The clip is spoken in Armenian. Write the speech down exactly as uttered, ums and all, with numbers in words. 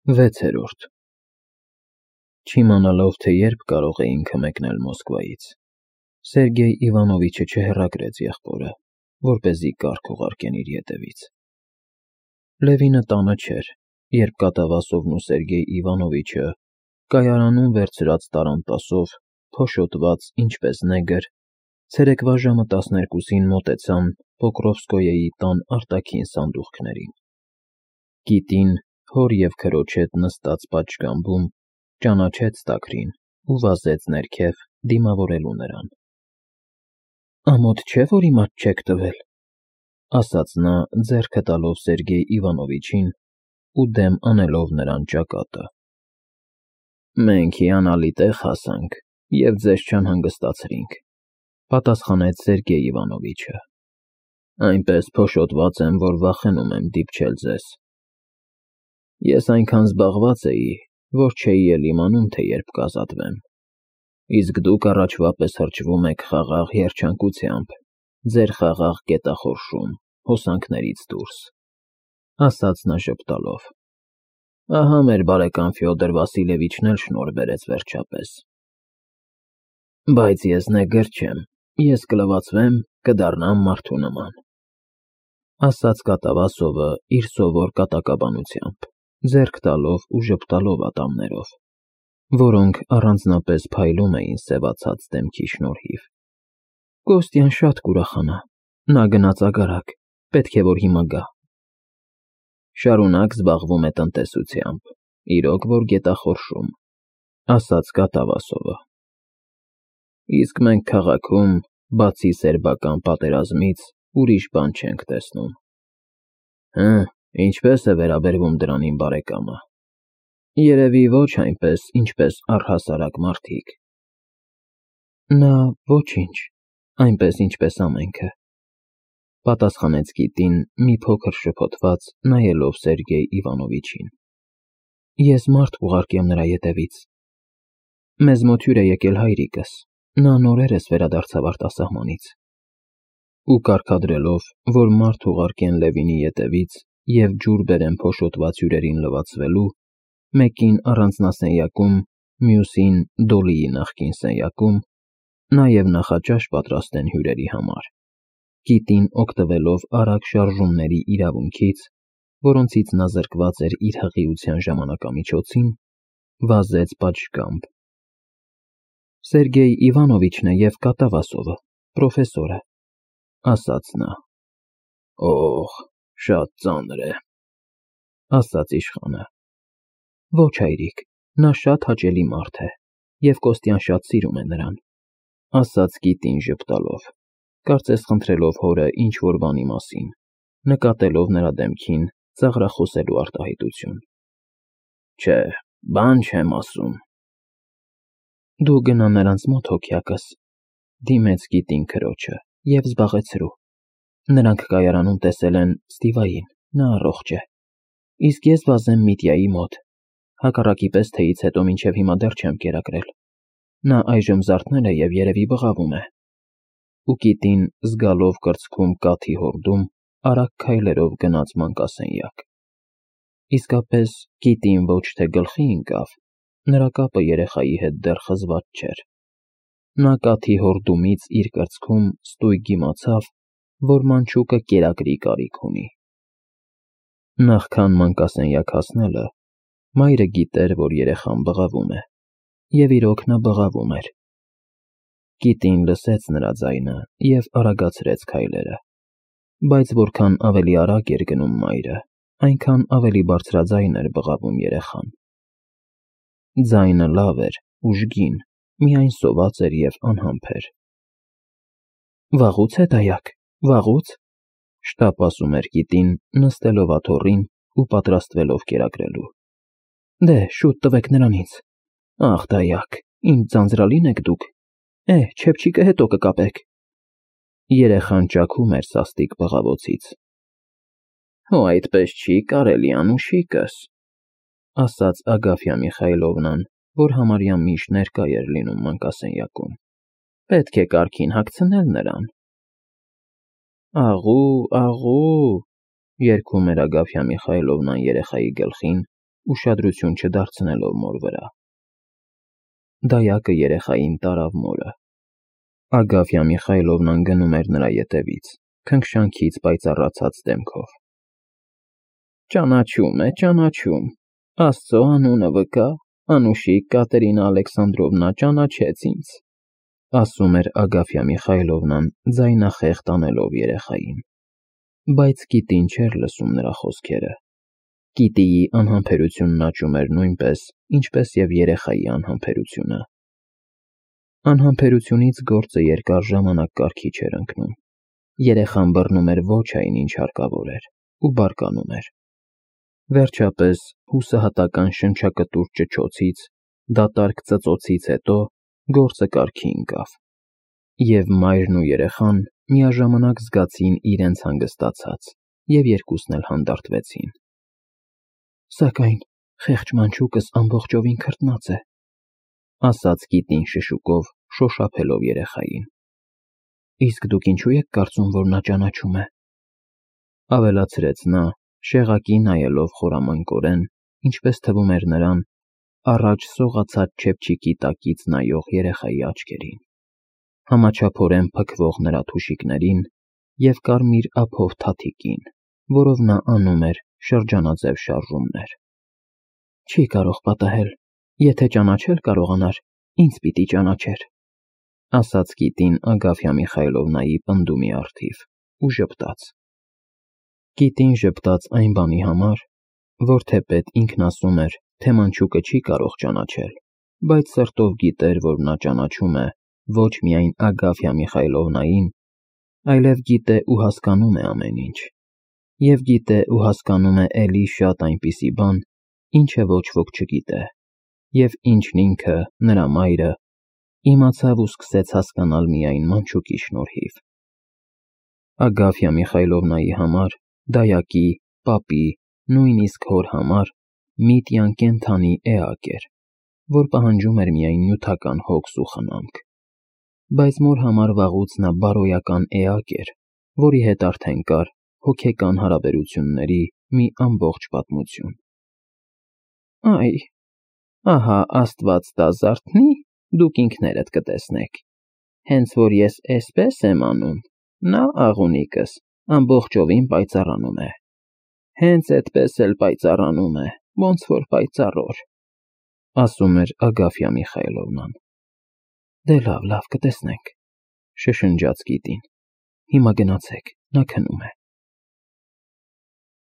վեցերորդ Չիմանալով, թե երբ կարող էինքը մեկնել Մոսկվայից, Սերգեյ Իվանովիչը չհեռագրեց եղբորը, որպեսզի կարգ ուղարկեն իր ետևից։ Լևինը տանը չէր, երբ Կատավասովն ու Սերգեյ Իվանովիչը կայարանում վերցրած տարանտասով, փոշոտված ինչպես նեգր, ցերեկվա ժամը տասներկուսին մոտեցան Պոկրովսկոյեի տան արտաքին սանդուղքներին։ Կիտին, հոր և քրոջ հետ նստած պատշգամբում, ճանաչեց տաքրին ու վազեց ներքև, դիմավորելու նրան։ Ամոթ չէ, որ իմաց չեք տվել, ասաց նա, ձեռքը տալով Սերգեյ Իվանովիչին ու դեմ անելով նրան ճակատը։ Մենք հիանալի տեղ հասանք և ձեզ չանհանգստացրինք, պատասխանեց Սերգեյ Իվանովիչը։ Այնպես փոշոտված եմ, որ վախենում եմ դիպչել ձեզ։ Ես այնքան զբաղված էի, որ չէի էլ իմանում, թե երբ կազատվեմ, իսկ դուք առաջվա պես հրճվում եք խաղաղ երջանկությամբ, ձեր խաղաղ գետախորշում, հոսանքներից դուրս, ասաց նա ժպտալով։ Ահա մեր բարեկամ Ֆյոդոր Վասիլևիչն էլ շնորհ բերեց վերջապես։ Բայց ես նեգր չեմ, ես կլվացվեմ, կդառնամ մարդու նման, ասաց Կատավասովը իր սովոր կատակաբանությամբ, ձեռք տալով ու ժպտալով ատամներով, որոնք առանձնապես փայլում էին սևացած դեմքի շնորհիվ։ Կոստյան շատ կուրախանա, նա գնաց ագարակ, պետք է որ հիմա գա։ Շարունակ զբաղվում է տնտեսությամբ, իրոք որ գետախորշում, ասաց Կատավասովը։ Իսկ մենք քաղաքում, բացի սերբական պատերազմից, ուրիշ բան չենք տեսնում։ Հը, ինչպես է վերաբերվում դրան իմ բարեկամը։ Երևի ոչ այնպես, ինչպես առհասարակ մարդիկ։ Նա ոչինչ, այնպես ինչպես ամենքը, պատասխանեց կիտին, մի փոքր շփոթված, նայելով Սերգեյ Իվանովիչին։ Ես մարդ կուղարկեմ նրա ետևից։ Մեզ մոտ հյուր է եկել հայրիկս, նա նորերս վերադարձավ արտասահմանից։ Ու կարգադրելով, որ մարդ ուղարկեն Լևինի ետևից և ջուր բերեն փոշոտված հյուրերին լվացվելու, մեկին առանձնասենյակում, մյուսին Դոլիի նախկին սենյակում, նաև նախաճաշ պատրաստեն հյուրերի համար, կիտին օգտվելով արագ շարժումների իրավունքից, որոնցից նա զրկված էր իր հղիության ժամանակամիջոցին, վազեց պատշգամբ։ Սերգեյ Իվանովիչն է և Կատավասովը, պրոֆեսորը, ասաց նա։ Օհ, շատ ծանր է, ասաց իշխանը։ Ոչ հայրիկ, նա շատ հաճելի մարդ է, և Կոստյան շատ սիրում է նրան, ասաց կիտին ժպտալով, կարծես խնդրելով հորը ինչ-որ բանի մասին, նկատելով նրա դեմքին ծաղրախոսելու արտահայտություն։ Չէ, բան չեմ ասում։ Դու գնա նրանց մոտ հոգյակս, դիմեց կիտին քրոջը, և զբաղեցրու։ Նրանք կայարանում տեսել են Ստիվային, նա առողջ է, իսկ ես վազեմ Միտյայի մոտ, հակառակի պես թեյից հետո մինչև հիմա դեռ չեմ կերակրել։ Նա այժմ զարթնել է և երևի բղավում է։ Ու կիտին, զգալով կրծքում կաթի հորդում, արագ քայլերով գնաց մանկասենյակ։ Իսկապես, կիտին ոչ թե գլխի ընկավ, նրա կապը երեխայի հետ դեռ խզված չէր։ Նա կաթի հորդումից իր կրծքում ստույգ իմացավ, որ մանչուկը կերակրի կարիք ունի։ Նախքան մանկասենյակ հասնելը, մայրը գիտեր, որ երեխան բղավում է, և իրոք նա բղավում էր։ Կիտին լսեց նրա ձայնը և արագացրեց քայլերը, բայց որքան ավելի արագ էր գնում մայրը, այնքան ավելի բարձրաձայն էր բղավում երեխան։ Ձայնը լավ էր, ուժգին, միայն սոված էր և անհամբեր։ Վաղուց է դայակ, վաղուց, շտապ ասում էր կիտին, նստելով աթոռին ու պատրաստվելով կերակրելու։ Դե, շուտ տվեք նրան ինձ։ Ախ, դայակ, ինչ ձանձրալին եք դուք։ Է, չեփչիկը հետո կկապեք։ Երեխան ճաքում էր սաստիկ բղավոցից։ Հո այդպես չի կարելի, անուշիկս, ասաց Ագաֆյա Միխայլովնան, որ համարյա միշտ ներկա էր լինում մանկասենյակում։ Պետք է կարգին հագցնել նրան։ Աղու, աղու, երգում էր Ագաֆյա Միխայլովնան երեխայի գլխին ուշադրություն չդարձնելով մոր վրա։ Դայակը երեխային տարավ մորը։ Ագաֆյա Միխայլովնան գնում էր նրա ետևից, քնքշանքից պայծառացած դեմքով։ Ճանաչում է, ճանաչում, Աստծո անունը վկա, անուշիկ Կատերինա Ալեքսանդրովնա ճանաչեց ինձ, ասում էր Ագաֆյա Միխայլովնան ձայնախեղդ անելով երեխային, բայց Կիտին չէր լսում նրա խոսքերը։ Կիտիի անհամբերությունն աճում էր նույնպես, ինչպես և երեխայի անհամբերությունը։ Անհամբերությունից գործը երկար ժամանակ կարգի չէր ընկնում։ Երեխան բռնում էր ոչ այն, ինչ հարկավոր էր, ու բարկանում էր։ Վերջապես, հուսահատական շնչակտուր ճչոցից, դատարկ ծծոցից հետո գործը կարգի ընկավ, և մայրն ու երեխան միաժամանակ զգացին իրենց հանգստացած, և երկուսն էլ հանդարտվեցին։ Սակայն խեղճ մանչուկս ամբողջովին քրտնած է, ասաց Կիտին շշուկով, շոշափելով երեխային։ Իսկ դուք ինչու եք կարծում, որ նա ճանաչում է, ավելացրեց նա, շեղակի նայելով խորամանկորեն, ինչպես թվում էր նրան, առաջ սողացած չեփչիկի տակից նայող երեխայի աչքերին, համաչափորեն փքվող նրա թուշիկներին և կարմիր ափով թաթիկին, որով նա անում էր շրջանաձև շարժումներ։ Չի կարող պատահել, եթե ճանաչել կարողանար, ինձ պիտի ճանաչեր, ասաց Կիտին Ագաֆյա Միխայլովնայի պնդումի առթիվ ու ժպտաց։ Կիտին ժպտաց այն բանի համար, որ թեպետ ինքն ասում էր, թե մանչուկը չի կարող ճանաչել, բայց սրտով գիտեր, որ նա ճանաչում է ոչ միայն Ագաֆյա Միխայլովնային, այլև գիտե ու հասկանում է ամեն ինչ, և գիտե ու հասկանում է էլի շատ այնպիսի բան, ինչը ոչ ոք չգիտե, և ինչն ինքը, նրա մայրը, իմացավ ու սկսեց հասկանալ միայն մանչուկի շնորհիվ։ Ագաֆյա Միխայլովնայի համար, դայակի, պապի, նույնիսկ հոր համար Միտյան կենդանի էակ էր, որ պահանջում էր միայն նյութական հոգս ու խնամք, բայց մոր համար վաղուց նա բարոյական էակ էր, որի հետ արդեն կար հոգեկան հարաբերությունների մի ամբողջ պատմություն։ Այ, ահա Աստված տա զարթնի, դուք ինքներդ կտեսնեք, հենց որ ես էսպես եմ անում, նա աղունիկս ամբողջովին պայծառանում է, հենց էդպես էլ պայծառանում է, ոնց որ պայծառոր, ասում էր Ագաֆյա Միխայլովնան։ Դե լավ, լավ, կտեսնենք, շշնջաց Կիտին, հիմա գնացեք, նա քնում է։